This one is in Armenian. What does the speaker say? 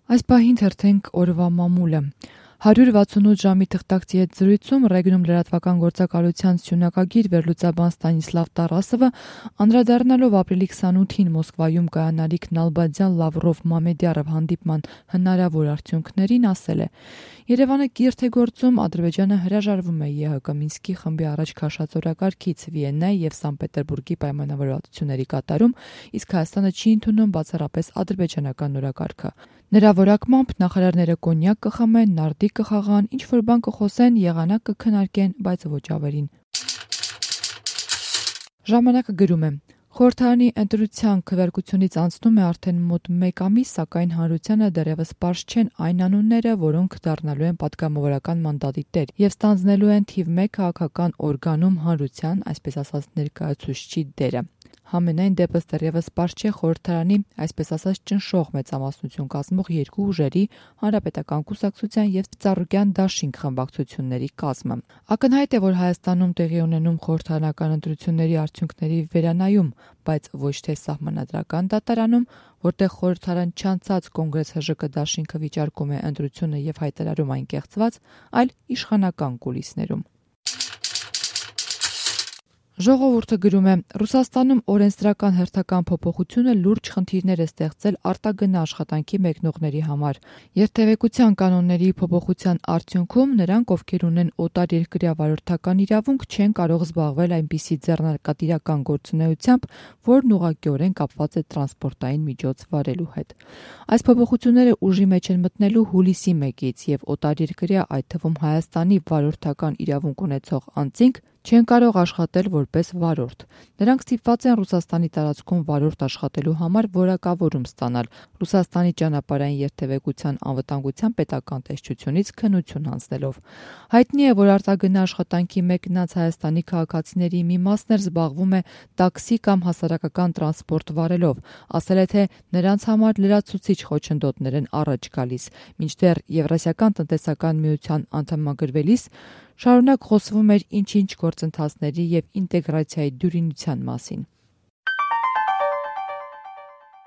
Այս պահին թերթենք օրվա մամուլը։ 168 ժամի թղթակցի հետ զրույցում Ռեգնում լրատվական գործակալության սյունակագիր վերլուծաբան Ստանիսլավ Տարասովը, անդրադառնալով ապրիլի 28-ին Մոսկվայում կայանալիք Նալբանդյան-Լավրով Մամեդյարով հանդիպման հնարավոր արդյունքներին, ասել է. Երևանը կիրթ է գործում, Ադրբեջանը հրաժարվում է ԵՀԿ Մինսկի խմբի առաջ քաշած օրակարգից, Վիեննայի եւ Սանկտ Պետերբուրգի պայմանավորվածությունների կատարում, իսկ Հայաստանը չի ընդունում բացառապես ադրբեջանական օրակարգը։ Նրա որակմամբ նախարարները կոնյակ կխմեն, նարդիկ կխաղան, ինչ-որ բան կխոսեն, եղանակ կքննարկեն, բայց ոչ ավելին։ Ժամանակը գրում է. Խորհրդարանի ընտրության քվեարկությունից անցնում է արդեն մոտ 1 ամիս, սակայն հանրությանը դեռևս պարզ չեն այն անունները, որոնք դառնալու են պատգամավորական մանդատի տեր եւ ստանձնելու են թիվ 1 քաղաքական օրգանում հանրության, այսպես ասած, ներկայացուցչի դերը։ Համենայն դեպս դեռևս պարզ չէ խորհրդարանի, այսպես ասած, ճնշող մեծամասնություն կազմող երկու ուժերի, Հանրապետական կուսակցության եւ Ծառուկյան դաշինք խմբակցությունների կազմը։ Ակնհայտ է, որ Հայաստանում տեղի ունենում խորհրդարանական ընտրությունների արդյունքների վերանայում, բայց ոչ թե սահմանադրական դատարանում, որտեղ խորհրդարան չանցած Կոնգրես ՀԺԿ դաշինքը վիճարկում է ընտրությունը եւ հայտարարում այն կեղծված, այլ իշխանական կուլիսներում։ Ժողովուրդը գրում է. Ռուսաստանում օրենսդրական հերթական փոփոխությունը լուրջ խնդիրներ է ստեղծել արտագնա աշխատանքի մեկնողների համար։ Երթևեկության կանոնների փոփոխության արդյունքում նրանք, ովքեր ունեն օտարերկրյա վարորդական իրավունք, չեն կարող զբաղվել այնպիսի ձեռնարկատիրական գործունեությամբ, որն ուղղակիորեն կապված է տրանսպորտային միջոց վարելու հետ։ Այս փոփոխությունները ուժի մեջ են մտնելու հուլիսի 1-ից եւ օտարերկրյա, այդ թվում Հայաստանի վարորդական իրավունք ունեցող անձինք չեն կարող աշխատել որպես վարորդ։ Նրանք ստիպված են Ռուսաստանի տարածքում վարորդ աշխատելու համար որակավորում ստանալ, Ռուսաստանի ճանապարհային երթևեկության անվտանգության պետական տեսչությունից քննություն հանձնելով։ Հայտնի է, որ արտագնա աշխատանքի մեկնած Հայաստանի քաղաքացիների մի մասն էլ զբաղվում է տաքսի կամ հասարակական տրանսպորտ վարելով, ասել է, թե նրանց համար լրացուցիչ խոչընդոտներ են առաջ գալիս, մինչդեռ Եվրասիական տնտեսական միության անդամագրվելիս շարունակ խոսվում էր ինչ-ինչ գործընթացների եւ ինտեգրացիայի դյուրինության մասին։